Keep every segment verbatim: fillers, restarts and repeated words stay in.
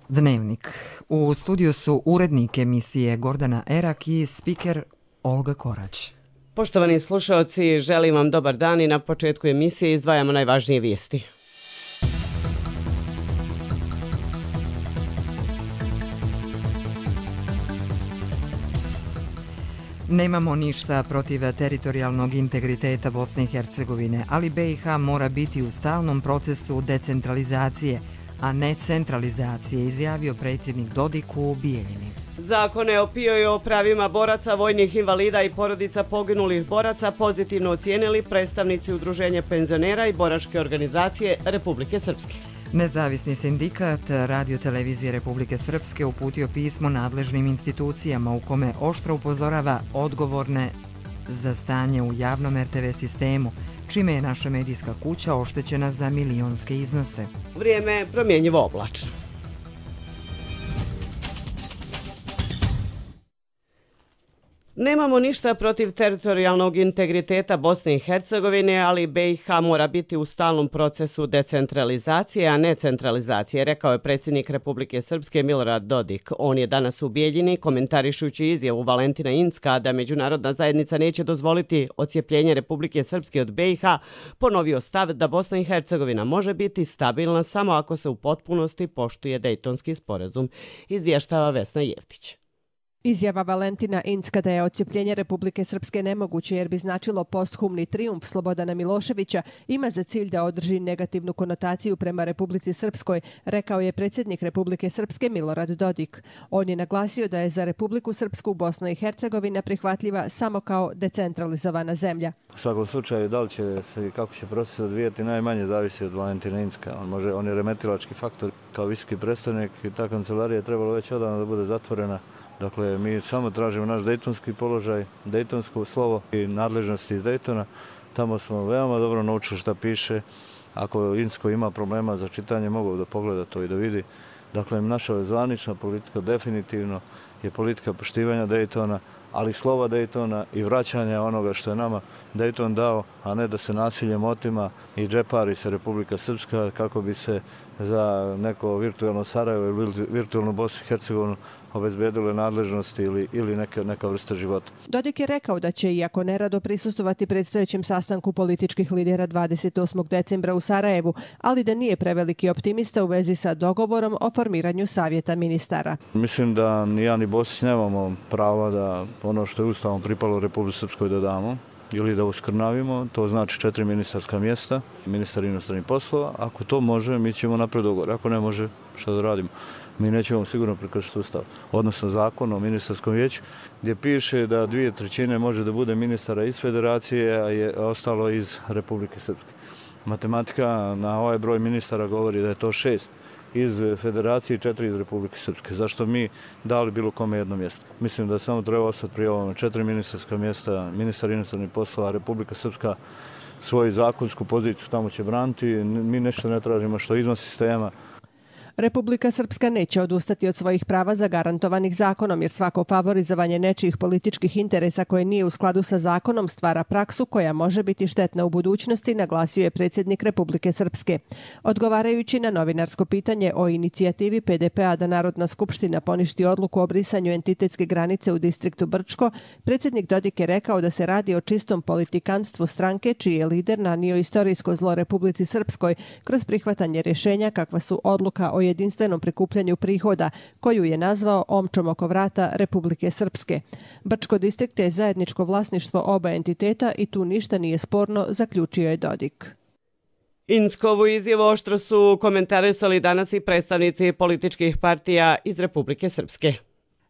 Dnevnik. U studiju su urednik emisije Gordana Erak i spiker Olga Korać. Poštovani slušalci, želim vam dobar dan i na početku emisije izdvajamo najvažnije vijesti. Nemamo ništa protiv teritorijalnog integriteta Bosne i Hercegovine, ali B i H mora biti u stalnom procesu decentralizacije, a ne centralizacije, izjavio predsjednik Dodik u Bijeljini. Zakone o P I O i o pravima boraca, vojnih invalida i porodica poginulih boraca pozitivno ocijenili predstavnici Udruženja penzionera i boračke organizacije Republike Srpske. Nezavisni sindikat Radio-televizije Republike Srpske uputio pismo nadležnim institucijama u kome oštro upozorava odgovorne za stanje u javnom R T V sistemu, čime je naša medijska kuća oštećena za milionske iznose. Vrijeme je promjenjivo oblačno. Nemamo ništa protiv teritorijalnog integriteta Bosne i Hercegovine, ali B i H mora biti u stalnom procesu decentralizacije, a ne centralizacije, rekao je predsjednik Republike Srpske Milorad Dodik. On je danas u Bijeljini, komentarišući izjavu Valentina Incka da međunarodna zajednica neće dozvoliti odcijepljenje Republike Srpske od B i H, ponovio stav da Bosna i Hercegovina može biti stabilna samo ako se u potpunosti poštuje Dejtonski sporazum, izvještava Vesna Jevtić. Izjava Valentina Incka da je odcijepljenje Republike Srpske nemoguće jer bi značilo posthumni trijumf Slobodana Miloševića ima za cilj da održi negativnu konotaciju prema Republici Srpskoj, rekao je predsjednik Republike Srpske Milorad Dodik. On je naglasio da je za Republiku Srpsku Bosna i Hercegovina prihvatljiva samo kao decentralizovana zemlja. U svakom slučaju, da li će se i kako će proces odvijati, najmanje zavisi od Valentina Incka. On, može, on je remetilački faktor kao visoki predstavnik i ta kancelarija je trebalo već odavno da bude zatvorena. Dakle, mi samo tražimo naš dejtonski položaj, dejtonsko slovo i nadležnosti iz Dejtona. Tamo smo veoma dobro naučili šta piše. Ako Incko ima problema za čitanje, mogu da pogleda to i da vidi. Dakle, naša zvanična politika definitivno je politika poštivanja Dejtona, ali slova Dejtona i vraćanja onoga što je nama Dejton dao, a ne da se nasiljem otima i džepari se Republika Srpska kako bi se za neko virtualno Sarajevo ili virtualnu Bosnu i Hercegovinu obezbedile nadležnosti ili, ili neka, neka vrsta života. Dodik je rekao da će, iako nerado, prisustvovati predstojećem sastanku političkih lidera dvadeset osmog decembra u Sarajevu, ali da nije preveliki optimista u vezi sa dogovorom o formiranju savjeta ministara. Mislim da ni ja ni Bosić nemamo prava da ono što je ustavom pripalo Republici Srpskoj da damo ili da uskrnavimo, to znači četiri ministarska mjesta, ministar inostranih poslova. Ako to može, mi ćemo napred dogovor. Ako ne može, šta da radimo? Mi nećemo sigurno prekršiti ustav, odnosno zakon o ministarskom vijeću, gdje piše da dvije trećine može da bude ministara iz federacije, a je ostalo iz Republike Srpske. Matematika na ovaj broj ministara govori da je to šest iz federacije i četiri iz Republike Srpske. Zašto mi dali bilo kome jedno mjesto? Mislim da samo treba ostati prije ovome četiri ministarska mjesta, ministar inostranih poslova, Republika Srpska svoju zakonsku poziciju tamo će braniti. Mi nešto ne tražimo što izvan sistema. Republika Srpska neće odustati od svojih prava zagarantovanih zakonom, jer svako favorizovanje nečijih političkih interesa koje nije u skladu sa zakonom stvara praksu koja može biti štetna u budućnosti, naglasio je predsjednik Republike Srpske. Odgovarajući na novinarsko pitanje o inicijativi P D P-a da Narodna skupština poništi odluku o brisanju entitetske granice u distriktu Brčko, predsjednik Dodik je rekao da se radi o čistom politikanstvu stranke čiji je lider nanio istorijsko zlo Republici Srpskoj kroz prihvatanje rješenja kakva su odluka o jedinstvenom prikupljanju prihoda, koju je nazvao omčom oko vrata Republike Srpske. Brčko distrikt je zajedničko vlasništvo oba entiteta i tu ništa nije sporno, zaključio je Dodik. Inckovu izjavu oštro su komentarisali danas i predstavnici političkih partija iz Republike Srpske.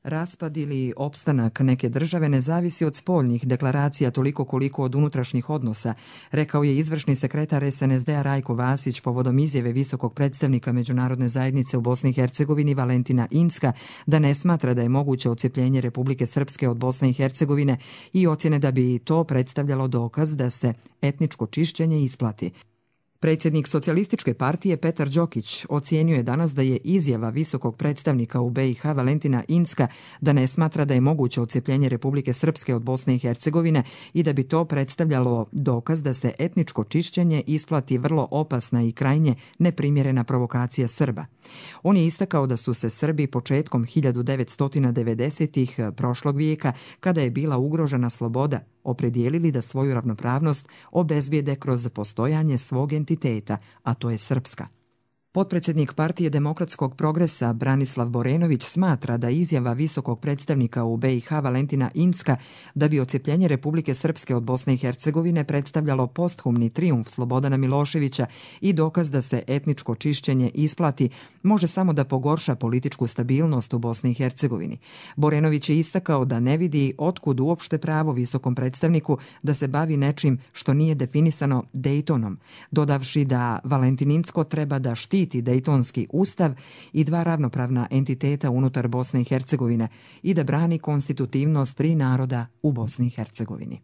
Raspad ili opstanak neke države ne zavisi od spoljnih deklaracija toliko koliko od unutrašnjih odnosa, rekao je izvršni sekretar S N S D-a Rajko Vasić povodom izjave visokog predstavnika međunarodne zajednice u Bosni i Hercegovini Valentina Incka da ne smatra da je moguće odcijepljenje Republike Srpske od Bosne i Hercegovine i ocjene da bi to predstavljalo dokaz da se etničko čišćenje isplati. Predsjednik Socijalističke partije Petar Đokić ocijenio je danas da je izjava visokog predstavnika u be i ha Valentina Incka da ne smatra da je moguće odcepljenje Republike Srpske od Bosne i Hercegovine i da bi to predstavljalo dokaz da se etničko čišćenje isplati vrlo opasna i krajnje neprimjerena provokacija Srba. On je istakao da su se Srbi početkom hiljadu devetsto devedesetih prošlog vijeka, kada je bila ugrožena sloboda, opredijelili da svoju ravnopravnost obezbijede kroz postojanje svog entiteta, a to je Srpska. Potpredsjednik Partije demokratskog progresa Branislav Borenović smatra da izjava visokog predstavnika u be i ha Valentina Incka da bi odcepljenje Republike Srpske od Bosne i Hercegovine predstavljalo posthumni trijumf Slobodana Miloševića i dokaz da se etničko čišćenje isplati, može samo da pogorša političku stabilnost u Bosni i Hercegovini. Borenović je istakao da ne vidi otkud uopšte pravo visokom predstavniku da se bavi nečim što nije definisano Dejtonom, dodavši da Valentin Incko treba da štiti Dejtonski ustav i dva ravnopravna entiteta unutar Bosne i Hercegovine i da brani konstitutivnost tri naroda u Bosni i Hercegovini.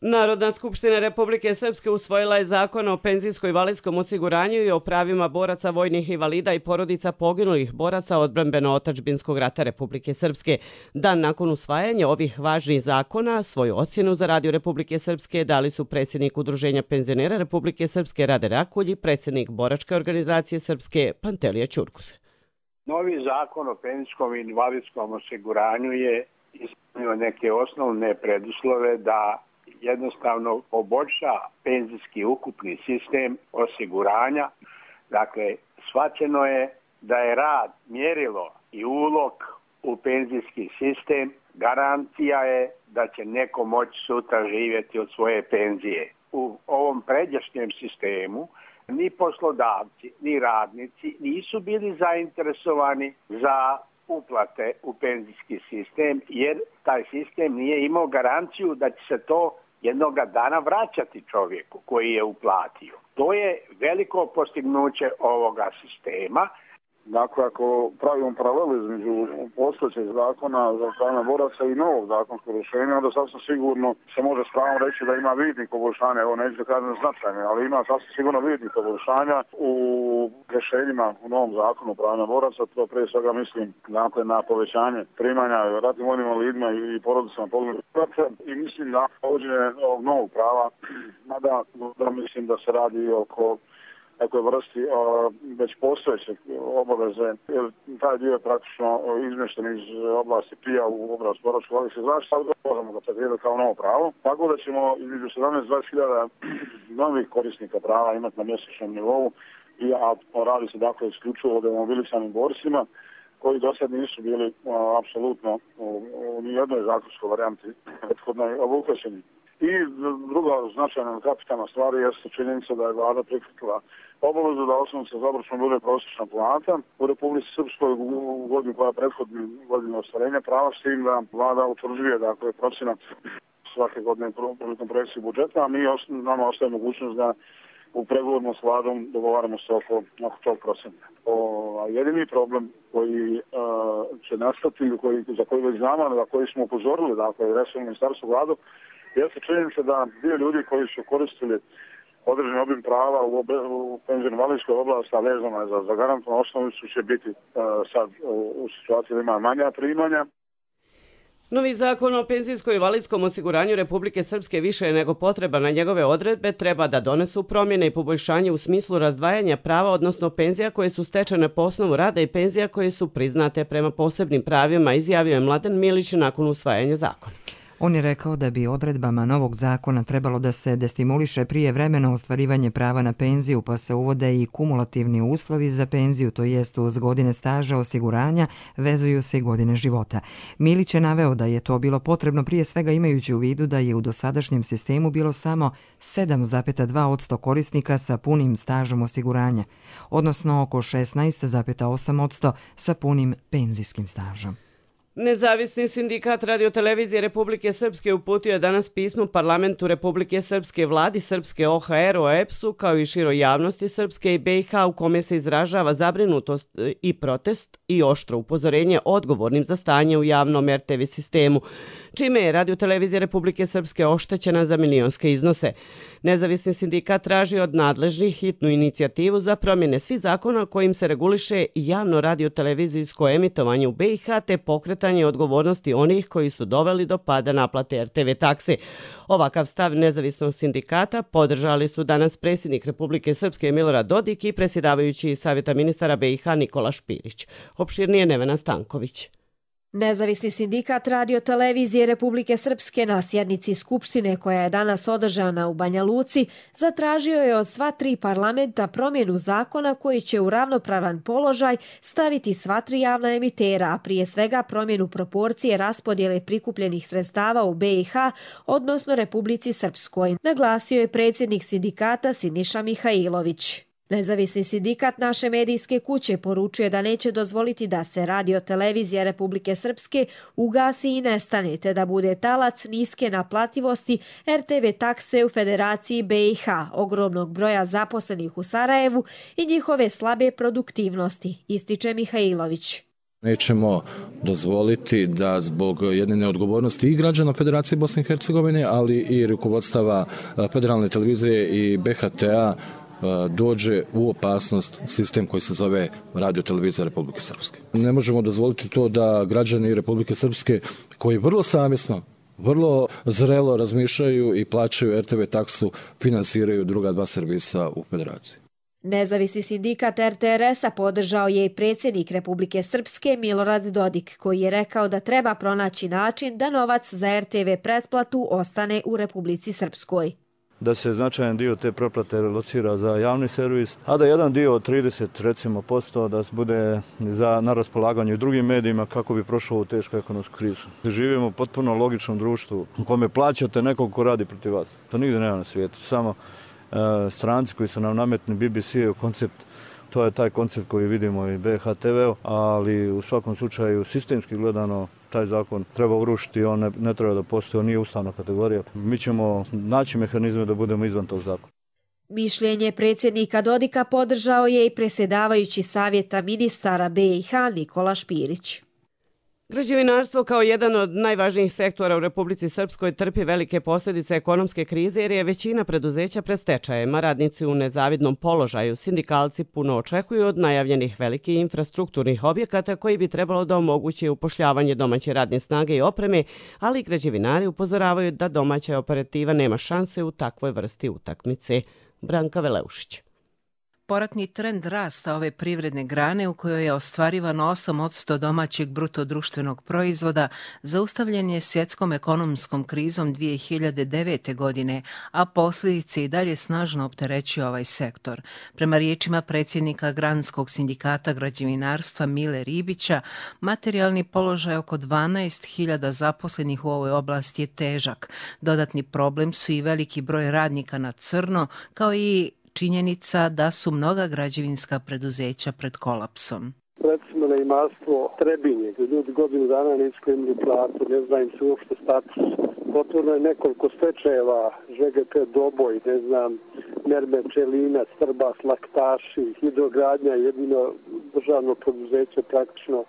Narodna skupština Republike Srpske usvojila je zakon o penzijsko-invalidskom osiguranju i o pravima boraca, vojnih invalida i porodica poginulih boraca odbrambeno-otadžbinskog rata Republike Srpske. Dan nakon usvajanja ovih važnih zakona, svoju ocjenu za Radio Republike Srpske dali su predsjednik Udruženja penzionera Republike Srpske Rade Rakulj i predsjednik Boračke organizacije Srpske Pantelija Ćurkus. Novi zakon o penzijskom i invalidskom osiguranju je ispunio neke osnovne preduslove da jednostavno poboljša penzijski ukupni sistem osiguranja. Dakle, shvaćeno je da je rad, mjerilo i ulog u penzijski sistem garancija je da će neko moći sutra živjeti od svoje penzije. U ovom pređašnjem sistemu ni poslodavci, ni radnici nisu bili zainteresovani za uplate u penzijski sistem, jer taj sistem nije imao garanciju da će se to jednoga dana vraćati čovjeku koji je uplatio. To je veliko postignuće ovoga sistema. Dakle, ako pravimo paralelu između postojećeg zakona za pravne boraca i novog zakonskog rješenja, onda sasvim sigurno se može s pravom reći da ima vidnih poboljšanja, evo neću da kažem značajne, ali ima sasvim sigurno vidnih poboljšanja u rješenjima u novom zakonu pravne boraca. To prije svega mislim dakle, na povećanje primanja ratnim vojnim invalidima i porodicama poginulih boraca i mislim da uvođenje ovog novog prava, mada da mislim da se radi oko takoj vrsti o, već postojeće obaveze, jer taj dio je praktično izmješten iz oblasti P I A u oblast boračke invalidske zaštite, ali možemo ga tretirati kao novo pravo. Tako da ćemo između sedamnaest do dvadeset hiljada novih korisnika prava imati na mjesečnom nivou, i, a radi se dakle isključivo o demobilisanim borcima, koji do sad nisu bili a, apsolutno u, u nijednoj zakonskoj varijanti prethodnoj obuhvaćeni. I druga značajna kapitalna stvar jeste činjenica da je vlada prihvatila obavezu da osnovica za obračun bude prosječna plata u Republici Srpskoj u godinu koja prethodni godinu ostvarenja prava, s tim da vlada utvrđuje dakle procenat svake godine prilikom projekcije budžeta, a mi nama ostaje mogućnost da u pregovorima s vladom dogovaramo se oko, oko tog procenta. O, jedini problem koji uh, će nastati, koji, za koji već znamo, za koji smo upozorili, dakle, resorno ministarstvo vladu, jeste činjenica da dio ljudi koji su koristili određeni obim prava u, u penzijsko-invalidskoj oblasti, a vezano je za, za garantovanu osnovicu, će biti uh, sad u, u situaciji da ima manja primanja. Novi zakon o penzijsko-invalidskom osiguranju Republike Srpske više je nego potreba na njegove odredbe treba da donesu promjene i poboljšanje u smislu razdvajanja prava, odnosno penzija koje su stečene po osnovu rada i penzija koje su priznate prema posebnim pravima, izjavio je Mladen Milić nakon usvajanja zakona. On je rekao da bi odredbama novog zakona trebalo da se destimuliše prijevremeno ostvarivanje prava na penziju, pa se uvode i kumulativni uslovi za penziju, to jest uz godine staža osiguranja vezuju se i godine života. Milić je naveo da je to bilo potrebno prije svega imajući u vidu da je u dosadašnjem sistemu bilo samo sedam zarez dva posto korisnika sa punim stažom osiguranja, odnosno oko šesnaest zarez osam posto sa punim penzijskim stažom. Nezavisni sindikat radiotelevizije Republike Srpske uputio je danas pismo Parlamentu Republike Srpske, vladi Srpske, O H R-u, E P S-u, kao i široj javnosti Srpske i B i H, u kome se izražava zabrinutost i protest i oštro upozorenje odgovornim za stanje u javnom R T V sistemu, čime je radiotelevizija Republike Srpske oštećena za milionske iznose. Nezavisni sindikat traži od nadležnih hitnu inicijativu za promjene svih zakona kojim se reguliše javno radiotelevizijsko emitovanje u B i H te pokretanje odgovornosti onih koji su doveli do pada naplate R T V takse. Ovakav stav nezavisnog sindikata podržali su danas predsjednik Republike Srpske Milorad Dodik i predsjedavajući Savjeta ministara B i H Nikola Špirić. Opširnije Nevena Stanković. Nezavisni sindikat radiotelevizije Republike Srpske na sjednici Skupštine koja je danas održana u Banja Luci zatražio je od sva tri parlamenta promjenu zakona koji će u ravnopravan položaj staviti sva tri javna emitera, a prije svega promjenu proporcije raspodjele prikupljenih sredstava u B i H, odnosno Republici Srpskoj, naglasio je predsjednik sindikata Siniša Mihajlović. Nezavisni sindikat naše medijske kuće poručuje da neće dozvoliti da se radiotelevizija Republike Srpske ugasi i nestane, te da bude talac niske naplativosti R T V takse u Federaciji B i H, ogromnog broja zaposlenih u Sarajevu i njihove slabe produktivnosti, ističe Mihajlović. Nećemo dozvoliti da zbog jedne neodgovornosti i građana Federacije Bosne i Hercegovine, ali i rukovodstava Federalne televizije i B H T-a dođe u opasnost sistem koji se zove radiotelevizija Republike Srpske. Ne možemo dozvoliti to da građani Republike Srpske koji vrlo savjesno, vrlo zrelo razmišljaju i plaćaju R T V taksu, finansiraju druga dva servisa u Federaciji. Nezavisni sindikat R T R S-a podržao je i predsjednik Republike Srpske Milorad Dodik, koji je rekao da treba pronaći način da novac za R T V pretplatu ostane u Republici Srpskoj. Da se značajan dio te pretplate locira za javni servis, a da jedan dio od trideset recimo posto da bude za, na raspolaganju i drugim medijima kako bi prošao u tešku ekonomsku krizu. Živimo u potpuno logičnom društvu u kome plaćate nekog ko radi protiv vas. To nigdje nema na svijetu. Samo e, stranci koji su nam nametni B B C-u koncept, to je taj koncept koji vidimo i B H T V-u, ali u svakom slučaju sistemski gledano taj zakon treba urušiti, on ne, ne treba da postoji, on nije ustavna kategorija. Mi ćemo naći mehanizme da budemo izvan tog zakona. Mišljenje predsjednika Dodika podržao je i predsjedavajući Savjeta ministara B i H Nikola Špirić. Građevinarstvo kao jedan od najvažnijih sektora u Republici Srpskoj trpi velike posljedice ekonomske krize jer je većina preduzeća pred stečajem, a radnici u nezavidnom položaju. Sindikalci puno očekuju od najavljenih velikih infrastrukturnih objekata koji bi trebalo da omoguće upošljavanje domaće radne snage i opreme, ali građevinari upozoravaju da domaća operativa nema šanse u takvoj vrsti utakmice. Branka Veleušić. Poratni trend rasta ove privredne grane u kojoj je ostvarivano osam posto domaćeg bruto društvenog proizvoda zaustavljen je svjetskom ekonomskom krizom dvije hiljade devete. godine, a posljedice i dalje snažno opterećuju ovaj sektor. Prema riječima predsjednika Granskog sindikata građevinarstva Mile Ribića, materijalni položaj oko dvanaest hiljada zaposlenih u ovoj oblasti je težak. Dodatni problem su i veliki broj radnika na crno, kao i činjenica da su mnoga građevinska preduzeća pred kolapsom. Recimo na imarstvo Trebinje, gdje ljudi godinu dana nisu imali platu, ne znam im se uopšte status. Potvorno je nekoliko stečajeva, Ž G P Doboj, ne znam, Mermer Čelinac, Trbas, Laktaši, Hidrogradnja, jedino državno preduzeće praktično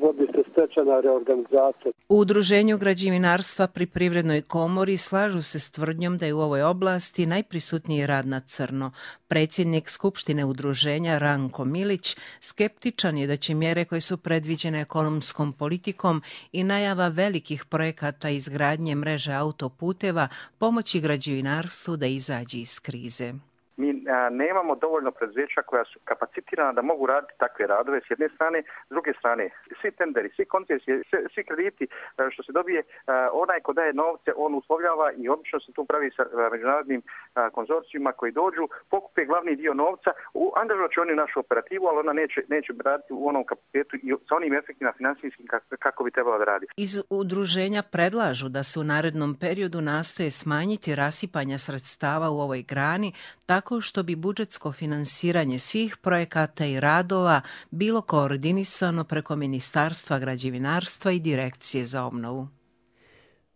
vodi se stečajna reorganizacija. U Udruženju građevinarstva pri Privrednoj komori slažu se s tvrdnjom da je u ovoj oblasti najprisutniji rad na crno. Predsjednik Skupštine udruženja Ranko Milić skeptičan je da će mjere koje su predviđene ekonomskom politikom i najava velikih projekata izgradnje mreže autoputeva pomoći građevinarstvu da izađe iz krize. Mi a, nemamo dovoljno preduzeća koja su kapacitirana da mogu raditi takve radove s jedne strane, s druge strane svi tenderi, svi koncesije, svi, svi krediti a, što se dobije, a, onaj ko daje novce, on uslovljava i obično se tu pravi sa a, međunarodnim a, konzorcijima koji dođu, pokupe glavni dio novca, angažovat će oni našu operativu, ali ona neće, neće raditi u onom kapacitetu i sa onim efektima finansijskim kako, kako bi trebalo da radi. Iz udruženja predlažu da se u narednom periodu nastoje smanjiti rasipanja sredstava u ovoj grani, tako tako što bi budžetsko finansiranje svih projekata i radova bilo koordinisano preko Ministarstva građevinarstva i Direkcije za obnovu.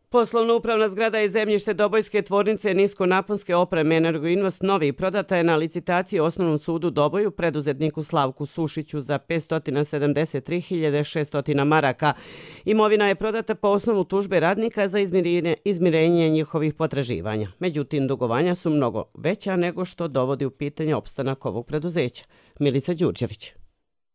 Poslovno upravna zgrada i zemljište Dobojske tvornice niskonaponske opreme Energoinvest Novi prodata je na licitaciji Osnovnom sudu Doboju preduzetniku Slavku Sušiću za petsto sedamdeset tri hiljade šesto maraka. Imovina je prodata po osnovu tužbe radnika za izmirenje, izmirenje njihovih potraživanja. Međutim, dugovanja su mnogo veća nego što dovodi u pitanje opstanak ovog preduzeća. Milica Đurđević.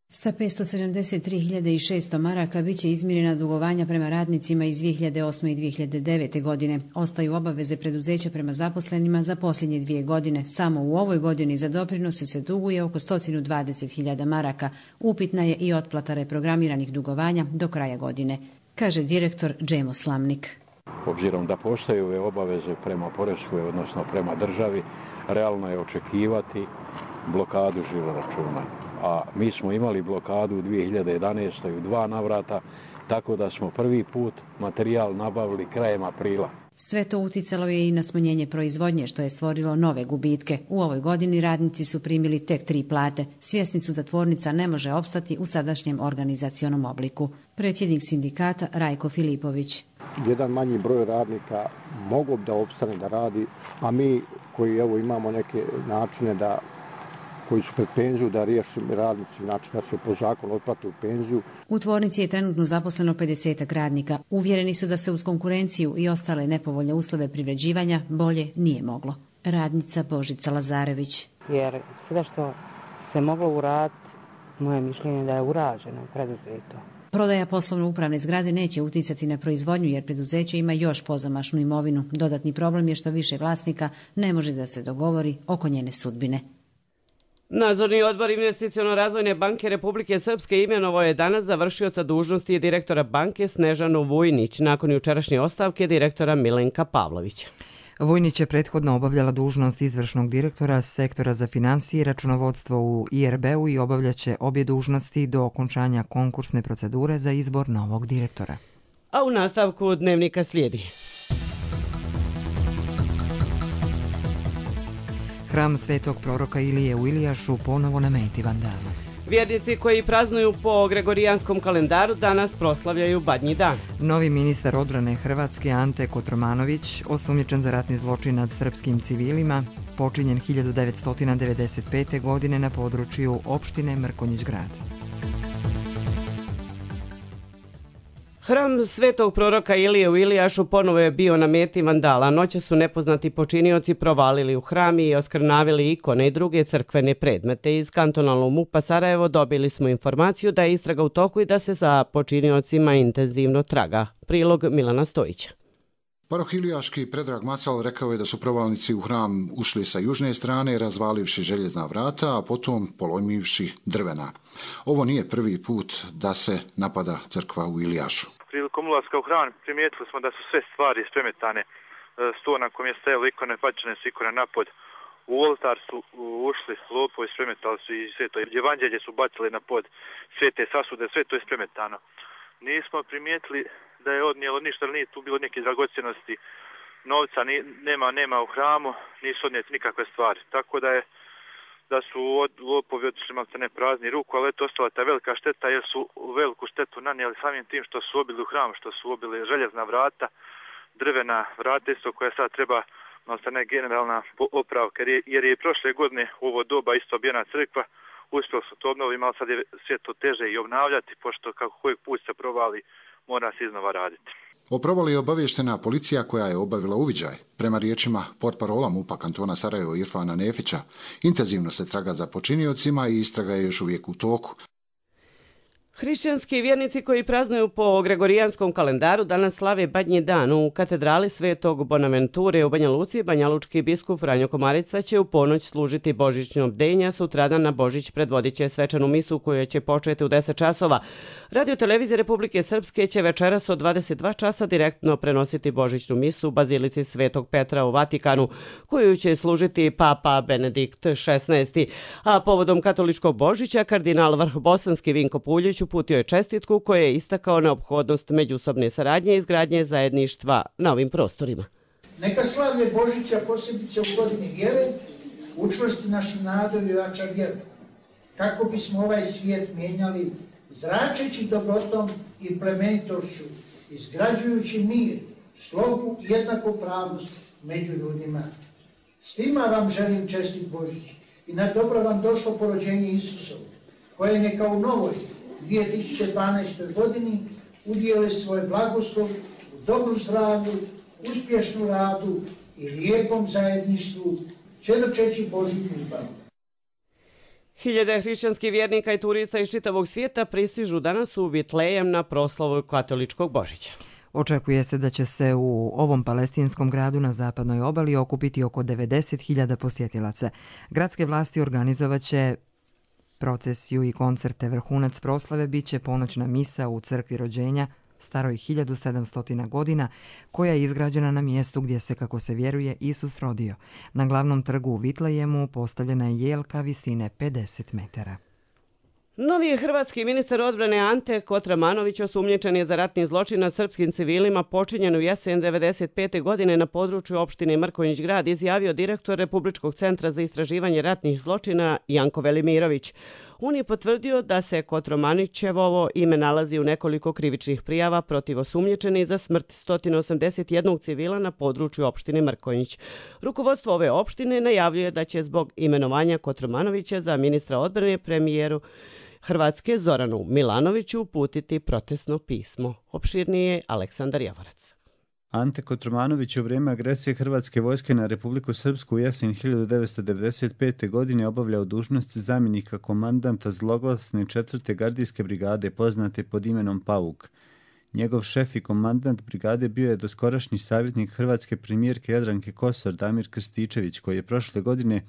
Sa petsto sedamdeset tri hiljade šesto maraka biće izmirena dugovanja prema radnicima iz dvije hiljade osme i dvije hiljade devete. godine. Ostaju obaveze preduzeća prema zaposlenima za posljednje dvije godine. Samo u ovoj godini za doprinose se duguje oko sto dvadeset hiljada maraka. Upitna je i otplata reprogramiranih dugovanja do kraja godine, kaže direktor Džemo Slamnik. Obzirom da postoje ove obaveze prema poreskoj, odnosno prema državi, realno je očekivati blokadu žiroračuna. A mi smo imali blokadu u dvije hiljade jedanaestoj u dva navrata, tako da smo prvi put materijal nabavili krajem aprila. Sve to uticalo je i na smanjenje proizvodnje, što je stvorilo nove gubitke. U ovoj godini radnici su primili tek tri plate. Svjesni su da tvornica ne može opstati u sadašnjem organizacionom obliku. Predsjednik sindikata Rajko Filipović. Jedan manji broj radnika mogu da opstane da radi, a mi koji evo imamo neke načine da koji su pred penziju da riješi radnici, znači da se po zakonu otplate u penziju. U tvornici je trenutno zaposleno pedesetak radnika. Uvjereni su da se uz konkurenciju i ostale nepovoljne uslove privređivanja bolje nije moglo. Radnica Božica Lazarević. Jer sve što se moglo uraditi, moje mišljenje da je urađeno, preduzeto. Prodaja poslovno-upravne zgrade neće uticati na proizvodnju jer preduzeće ima još pozamašnu imovinu. Dodatni problem je što više vlasnika ne može da se dogovori oko njene sudbine. Nadzorni odbor Investiciono-razvojne banke Republike Srpske imenovao je danas za vršioca dužnosti direktora banke Snežanu Vujnić nakon jučerašnje ostavke direktora Milenka Pavlovića. Vujnić je prethodno obavljala dužnost izvršnog direktora sektora za financije i računovodstvo u I R B-u i obavljaće obje dužnosti do okončanja konkursne procedure za izbor novog direktora. A u nastavku dnevnika slijedi. Hram svetog proroka Ilije u Ilijašu ponovo na meti vandala. Vjernici koji praznuju po gregorijanskom kalendaru danas proslavljaju Badnji dan. Novi ministar odbrane Hrvatske Ante Kotromanović, osumnjičen za ratni zločin nad srpskim civilima, počinjen hiljadu devetsto devedeset pete. godine na području opštine Mrkonjić Grad. Hram svetog proroka Ilije u Ilijašu ponovo je bio na meti vandala. Noće su nepoznati počinioci provalili u hram i oskrnavili ikone i druge crkvene predmete. Iz kantonalnog MUP-a Sarajevo dobili smo informaciju da je istraga u toku i da se za počiniocima intenzivno traga. Prilog Milana Stojića. Paroh Ilijaški Predrag Macal rekao je da su provalnici u hram ušli sa južne strane, razvalivši željezna vrata, a potom polomivši drvena. Ovo nije prvi put da se napada crkva u Ilijašu. Prilikom ulaska u hram primijetili smo da su sve stvari spremetane. Sto na kojem je stajalo ikone, bačene su ikone napod. U oltar su ušli lopovi, spremetali su i sve to. Evanđelje su bacili na pod, sve te sasude, sve to je spremetano. Nismo primijetili da je odnijelo ništa, nije tu bilo neke dragocjenosti, novca ni, nema, nema u hramu, nisu odnijeti nikakve stvari. Tako da je da su od, lopovi otišli malce ne prazni ruku, ali eto ostala ta velika šteta jer su veliku štetu nanijeli samim tim što su obili u hram, što su obili željezna vrata, drvena vrata isto koja sad treba malce ne generalna opravka, jer je, jer je prošle godine u ovo doba isto obijena crkva, uspjeli su to obnoviti, malo sad je sve to teže i obnavljati, pošto kako kojeg put se provali, mora se iznova raditi. O provali je obavještena policija koja je obavila uviđaj. Prema riječima portparola MUP-a kantona Sarajevo Irfana Nefića, intenzivno se traga za počiniocima i istraga je još uvijek u toku. Hrišćanski vjernici koji praznuju po gregorijanskom kalendaru danas slave Badnji dan u katedrali Svetog Bonaventure u Banja Luci. Banjalučki biskup Franjo Komarica će u ponoć služiti božićno bdenja, sutradan na Božić predvodit će svečanu misu koja će početi u deset časova. Radio televizija Republike Srpske će večeras od dvadeset dva časa direktno prenositi božićnu misu u Bazilici Svetog Petra u Vatikanu, koju će služiti Papa Benedikt šesnaesti. A povodom katoličkog Božića kardinal Vrhbosanski Vinko Puljić uputio je čestitku koja je istakao neophodnost međusobne saradnje i izgradnje zajedništva na ovim prostorima. Neka slavlje Božića posebice u godini vjere učvrsti našu nadu i ojača vjeru, kako bismo ovaj svijet mijenjali zračeći dobrotom i plemenitošću, izgrađujući mir, slogu i jednakopravnost među ljudima. Svima vam želim čestit Božić i na dobro vam došlo porođenje Isusovo, koje neka u novoj dvije tisuće dvanaestoj godini udijele svoj blagoslov u dobru zdravlju, uspješnu radu i lijepom zajedništvu, čedočeći Božju ljubav. Hiljade hrišćanskih vjernika i turista iz čitavog svijeta pristižu danas u Vitlejem na proslavu katoličkog Božića. Očekuje se da će se u ovom palestinskom gradu na zapadnoj obali okupiti oko devedeset hiljada posjetilaca. Gradske vlasti organizovat će procesiju i koncerte. Vrhunac proslave bit će ponoćna misa u crkvi rođenja staroj hiljadu sedamsto godina, koja je izgrađena na mjestu gdje se, kako se vjeruje, Isus rodio. Na glavnom trgu u Vitlejemu postavljena je jelka visine pedeset metara. Novi hrvatski ministar odbrane Ante Kotromanović osumnjičen je za ratni zločin nad srpskim civilima počinjen u jesen devedeset pete godine na području opštine Mrkonjić Grad, izjavio direktor Republičkog centra za istraživanje ratnih zločina Janko Velimirović. On je potvrdio da se Kotromanićevovo ime nalazi u nekoliko krivičnih prijava protiv osumnjičenih za smrt sto osamdeset jedan civila na području opštine Mrkonjić. Rukovodstvo ove opštine najavljuje da će zbog imenovanja Kotromanovića za ministra odbrane premijeru Hrvatske Zoranu Milanoviću uputiti protestno pismo. Opširnije Aleksandar Javorac. Ante Kotromanović u vrijeme agresije Hrvatske vojske na Republiku Srpsku u jesen hiljadu devetsto devedeset pete. godine obavljao dužnost zamjenika komandanta zloglasne četvrte gardijske brigade poznate pod imenom Pauk. Njegov šef i komandant brigade bio je doskorašnji savjetnik hrvatske premijerke Jadranke Kosor Damir Krstičević, koji je prošle godine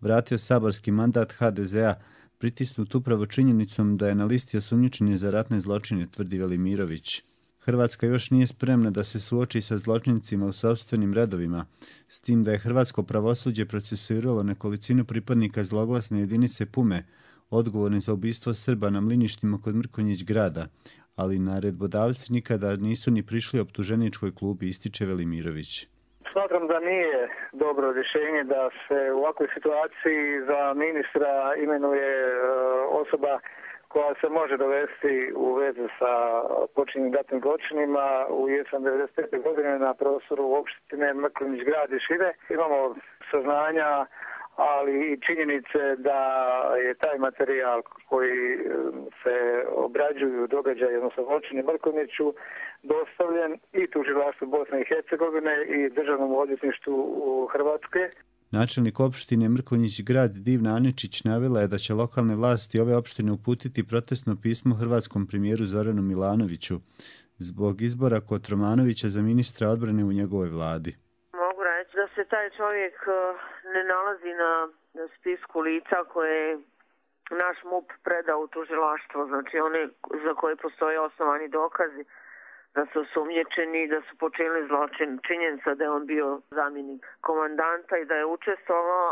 vratio saborski mandat ha de ze a, pritisnut upravo činjenicom da je na listi osumnjičen za ratne zločine, tvrdi Velimirović. Hrvatska još nije spremna da se suoči sa zločincima u sopstvenim redovima, s tim da je hrvatsko pravosuđe procesuiralo nekolicinu pripadnika zloglasne jedinice Pume, odgovorni za ubistvo Srba na mliništima kod Mrkonjić Grada, ali naredbodavci nikada nisu ni prišli optuženičkoj klubi, ističe Velimirović. Smatram da nije dobro rješenje da se u ovakvoj situaciji za ministra imenuje osoba koja se može dovesti u vezu sa počinjenim ratnim zločinima u jesen devedeset pete. godine na prostoru opštine Mrkonjić Grad i šire. Imamo saznanja, ali i činjenice da je taj materijal koji se obrađuju događaje, odnosno zločini Mrkonjiću, dostavljen i tužilaštvu Bosne i Hercegovine i Državnom odvjetništvu Hrvatske. Načelnik opštine Mrkonjić Grad Divna Aničić navela je da će lokalne vlasti ove opštine uputiti protestno pismo hrvatskom premijeru Zoranu Milanoviću zbog izbora Kotromanovića za ministra odbrane u njegovoj vladi. Mogu reći da se taj čovjek ne nalazi na spisku lica koje je naš M U P predao u tužilaštvo, znači one za koje postoje osnovani dokazi da su osumnjičeni i da su počinili zločin. Činjenica da je on bio zamjenik komandanta i da je učestvovao.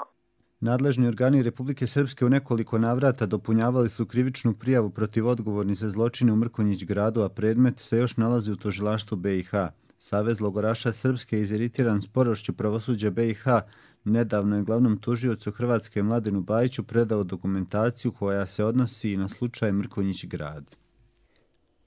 Nadležni organi Republike Srpske u nekoliko navrata dopunjavali su krivičnu prijavu protiv odgovornih za zločine u Mrkonjić Gradu, a predmet se još nalazi u tužilaštvu be i ha. Savez logoraša Srpske je iziritiran sporošću pravosuđa be i ha. Nedavno je glavnom tužiocu Hrvatske Mladenu Bajiću predao dokumentaciju koja se odnosi i na slučaj Mrkonjić Grad.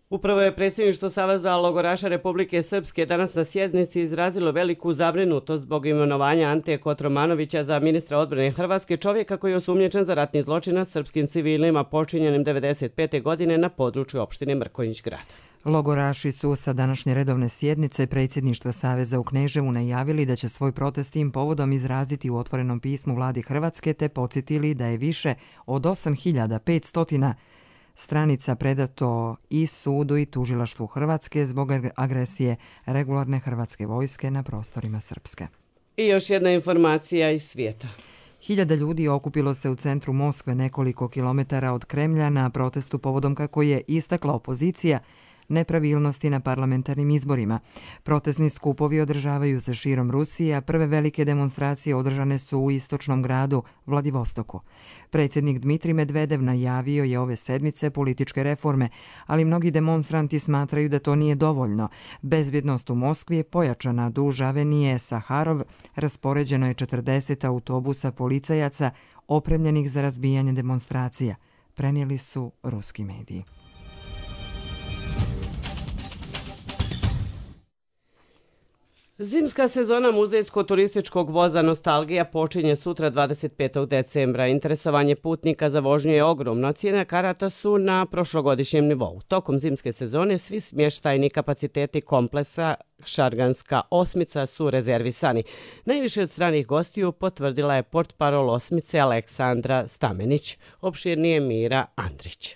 Upravo je predsjedništvo Saveza logoraša Republike Srpske danas na sjednici izrazilo veliku zabrinutost zbog imenovanja Ante Kotromanovića za ministra odbrane Hrvatske, čovjeka koji je osumnjičen za ratni zločin nad srpskim civilima počinjenim devedeset pete. godine na području opštine Mrkonjić Grad. Logoraši su sa današnje redovne sjednice predsjedništva Saveza u Kneževu najavili da će svoj protest tim povodom izraziti u otvorenom pismu vladi Hrvatske, te podsjetili da je više od osam hiljada petsto stranica predato i sudu i tužilaštvu Hrvatske zbog agresije regularne hrvatske vojske na prostorima Srpske. I još jedna informacija iz svijeta. Hiljada ljudi okupilo se u centru Moskve nekoliko kilometara od Kremlja na protestu povodom, kako je istakla opozicija, nepravilnosti na parlamentarnim izborima. Protestni skupovi održavaju se širom Rusije, a prve velike demonstracije održane su u istočnom gradu Vladivostoku. Predsjednik Dmitrij Medvedev najavio je ove sedmice političke reforme, ali mnogi demonstranti smatraju da to nije dovoljno. Bezbjednost u Moskvi je pojačana. Duž avenije Saharov raspoređeno je četrdeset autobusa policajaca opremljenih za razbijanje demonstracija, prenijeli su ruski mediji. Zimska sezona muzejsko-turističkog voza Nostalgija počinje sutra dvadeset petog decembra. Interesovanje putnika za vožnju je ogromno, a cijene karata su na prošlogodišnjem nivou. Tokom zimske sezone svi smještajni kapaciteti kompleksa Šarganska osmica su rezervisani. Najviše od stranih gostiju potvrdila je portparol osmice Aleksandra Stamenić. Opširnije Mira Andrić.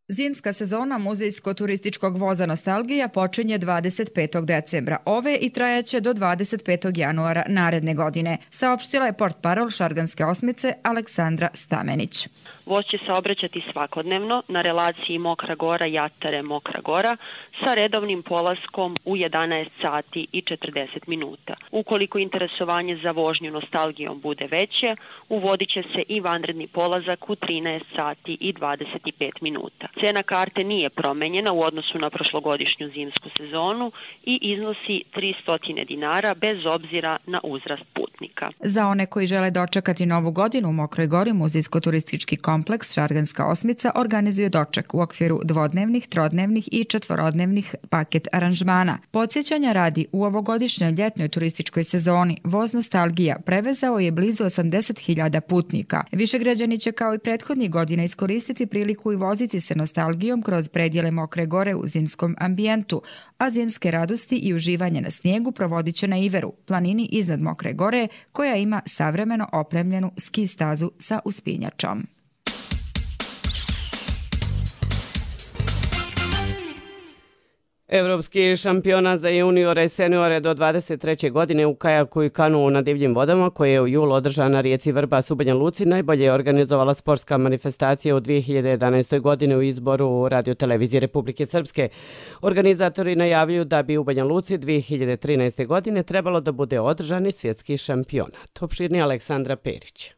Zimska sezona muzejsko-turističkog voza Nostalgija počinje dvadeset petog decembra ove i trajaće do dvadeset petog januara naredne godine, saopštila je portparol Šarganske osmice Aleksandra Stamenić. Voz će saobraćati svakodnevno na relaciji Mokra Gora Jatare Mokra Gora sa redovnim polaskom u jedanaest sati i četrdeset minuta. Ukoliko interesovanje za vožnju Nostalgijom bude veće, uvodit će se i vanredni polazak u trinaest sati i dvadeset pet minuta. Cena karte nije promenjena u odnosu na prošlogodišnju zimsku sezonu i iznosi tristo dinara bez obzira na uzrast putnika. Za one koji žele dočekati Novu godinu u Mokroj Gori, muzejsko-turistički kompleks Šarganska osmica organizuje doček u okviru dvodnevnih, trodnevnih i četvorodnevnih paket aranžmana. Podsjećanja radi, u ovogodišnjoj ljetnoj turističkoj sezoni voz Nostalgija prevezao je blizu osamdeset hiljada putnika. Višegrađani će kao i prethodnih godina iskoristiti priliku i voziti se Nostalgijom kroz predjele Mokre Gore u zimskom ambijentu, a zimske radosti i uživanje na snijegu provodit će na Iveru, planini iznad Mokre Gore, koja ima savremeno opremljenu ski stazu sa uspinjačom. Evropski šampionat za juniore i seniore do dvadeset treće godine u kajaku i kanuu na divljim vodama, koje je u julu održana na rijeci Vrbas u Banja Luci, najbolje je organizovala sportska manifestacija u dvije hiljade jedanaestoj. godine u izboru Radio televizije Republike Srpske. Organizatori najavljuju da bi u Banja Luci dvije hiljade trinaeste. godine trebalo da bude održani svjetski šampionat. Opširni Aleksandra Perić.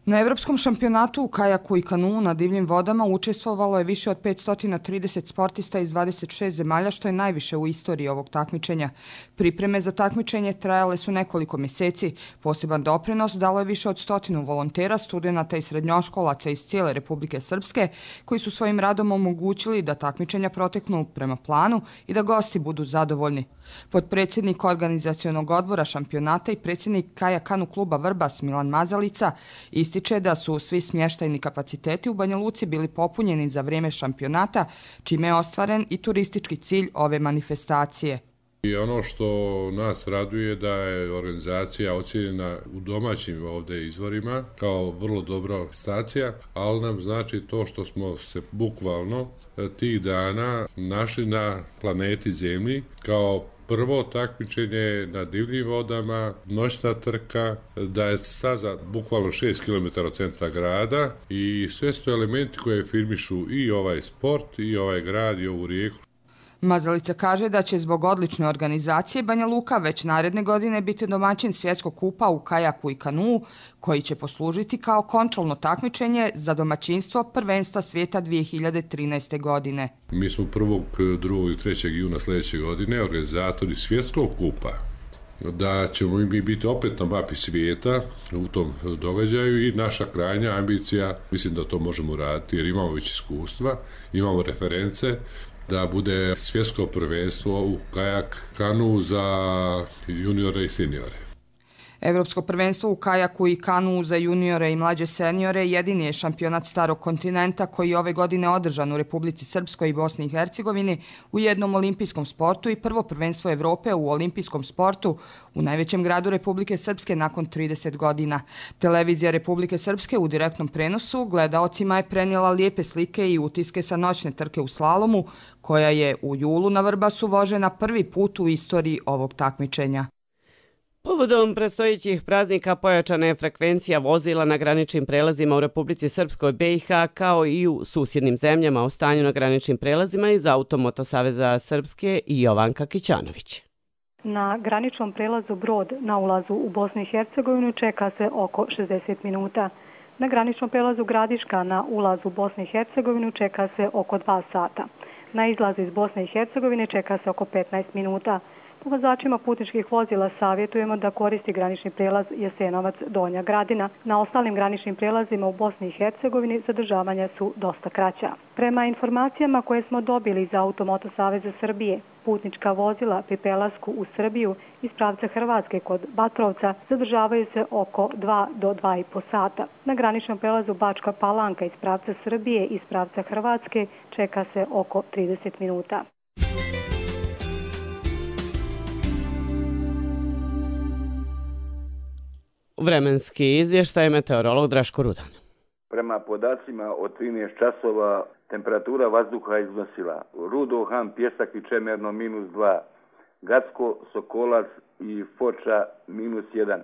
Na Evropskom šampionatu u kajaku i kanuu na divljim vodama učestvovalo je više od petsto trideset sportista iz dvadeset šest zemalja, što je najviše u istoriji ovog takmičenja. Pripreme za takmičenje trajale su nekoliko mjeseci. Poseban doprinos dalo je više od stotinu volontera, studenata i srednjoškolaca iz cijele Republike Srpske, koji su svojim radom omogućili da takmičenja proteknu prema planu i da gosti budu zadovoljni. Potpredsjednik organizacionog odbora šampionata i predsjednik kajak-kanu kluba Vrbas Milan Mazalica ističe da su svi smještajni kapaciteti u Banja Luci bili popunjeni za vrijeme šampionata, čime je ostvaren i turistički cilj ove manifestacije. I ono što nas raduje da je organizacija ocjenjena u domaćim ovdje izvorima kao vrlo dobra stacija, ali nam znači to što smo se bukvalno tih dana našli na planeti Zemlji kao prvo takmičenje na divljim vodama, noćna trka, da je staza bukvalno šest kilometara od centra grada i sve su to elementi koje firmišu i ovaj sport, i ovaj grad, i ovu rijeku. Mazalica kaže da će zbog odlične organizacije Banja Luka već naredne godine biti domaćin svjetskog kupa u kajaku i kanuu, koji će poslužiti kao kontrolno takmičenje za domaćinstvo prvenstva svijeta dvije hiljade trinaeste. godine. Mi smo prvog, drugog i trećeg juna sljedeće godine organizatori svjetskog kupa. Da ćemo mi biti opet na mapi svijeta u tom događaju i naša krajnja ambicija, mislim da to možemo raditi jer imamo već iskustva, imamo reference, da bude svjetsko prvenstvo u kajak kanu za juniore i seniore. Evropsko prvenstvo u kajaku i kanuu za juniore i mlađe seniore jedini je šampionat starog kontinenta koji je ove godine održan u Republici Srpskoj i Bosni i Hercegovini u jednom olimpijskom sportu i prvo prvenstvo Evrope u olimpijskom sportu u najvećem gradu Republike Srpske nakon trideset godina. Televizija Republike Srpske u direktnom prenosu gledaocima je prenijela lijepe slike i utiske sa noćne trke u slalomu, koja je u julu na Vrbasu vožena prvi put u istoriji ovog takmičenja. Povodom predstojećih praznika pojačana je frekvencija vozila na graničnim prelazima u Republici Srpskoj B i H kao i u susjednim zemljama. O stanju na graničnim prelazima iz Automoto Saveza Srpske i Jovanka Kićanović. Na graničnom prelazu Brod na ulazu u Bosnu i Hercegovinu čeka se oko šezdeset minuta. Na graničnom prelazu Gradiška na ulazu u Bosnu i Hercegovinu čeka se oko dva sata. Na izlazu iz Bosne i Hercegovine čeka se oko petnaest minuta. Vozačima putničkih vozila savjetujemo da koristi granični prelaz Jasenovac Donja Gradina. Na ostalim graničnim prelazima u Bosni i Hercegovini zadržavanja su dosta kraća. Prema informacijama koje smo dobili iz Automoto Saveza Srbije, putnička vozila pri prelasku u Srbiju iz pravca Hrvatske kod Batrovca zadržavaju se oko dva do dva i po sata. Na graničnom prelazu Bačka Palanka iz pravca Srbije i iz pravca Hrvatske čeka se oko trideset minuta. Vremenski izvještaj meteorolog Draško Rudan. Prema podacima od trinaest časova temperatura vazduha iznosila Rudo, Han, Pjesak i Čemerno minus dva, Gacko, Sokolac i Foča minus jedan,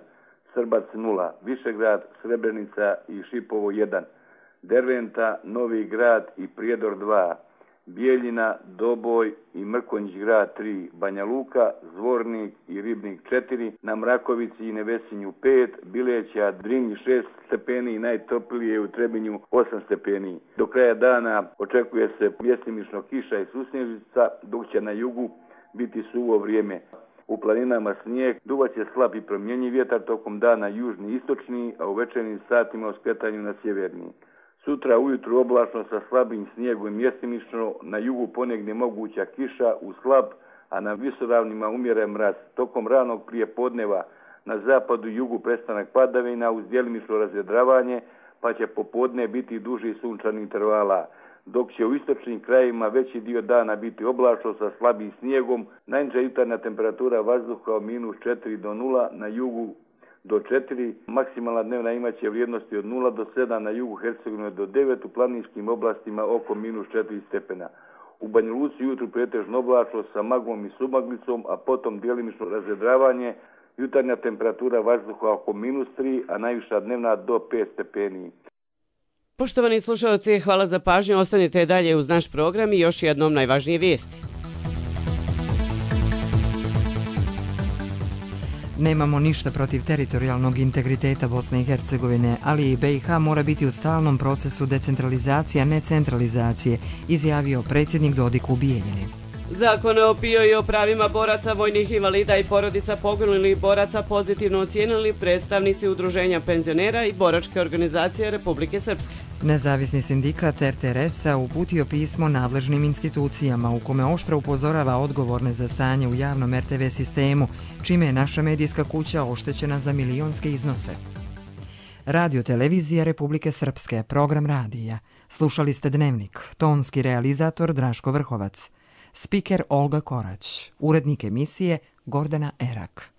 Srbac nula, Višegrad, Srebrenica i Šipovo jedan, Derventa, Novi Grad i Prijedor dva, Bijeljina, Doboj i Mrkonjić grad tri, Banja Luka, Zvornik i Ribnik četiri, na Mrakovici i Nevesinju pet, Bileća, Drinji šest stepeni i najtoplije u Trebinju osam stepeni. Do kraja dana očekuje se mjestimično kiša i susnježica, dok će na jugu biti suvo vrijeme. U planinama snijeg, duvaće slab i promjenjiv vjetar, tokom dana južni i istočni, a u večernjim satima u skretanju na sjeverni. Sutra ujutru oblačno sa slabim snijegom i mjestimično, na jugu ponegdje moguća kiša u slab, a na visoravnima umjeren mraz. Tokom ranog prijepodneva na zapadu i jugu prestanak padavina uz djelimično razvedravanje, pa će popodne biti duži sunčani intervala. Dok će u istočnim krajevima veći dio dana biti oblačno sa slabim snijegom, najniža jutarnja temperatura vazduha od minus četiri do nula, na jugu do četiri, maksimalna dnevna imaće vrijednosti od nula do sedam, na jugu Hercegovine do devet, u planinskim oblastima oko minus četiri stepena. U Banja Luci jutru pretežno oblačno sa maglom i submaglicom, a potom djelimično razvedravanje, jutarnja temperatura vazduha oko minus tri, a najviša dnevna do pet stepeni. Poštovani slušalci, hvala za pažnju, ostanite dalje uz naš program i još jednom najvažnije vijesti. Nemamo ništa protiv teritorijalnog integriteta Bosne i Hercegovine, ali i B i H mora biti u stalnom procesu decentralizacije, a ne centralizacije, izjavio predsjednik Dodik u Bijeljini. Zakon o P I O i o pravima boraca, vojnih invalida i porodica poginulih boraca pozitivno ocijenili predstavnici Udruženja penzionera i boračke organizacije Republike Srpske. Nezavisni sindikat R T R S-a uputio pismo nadležnim institucijama u kome oštro upozorava odgovorne za stanje u javnom R T V sistemu, čime je naša medijska kuća oštećena za milionske iznose. Radio televizija Republike Srpske, program radija. Slušali ste Dnevnik, tonski realizator Draško Vrhovac. Spiker Olga Korać, urednik emisije Gordana Erak.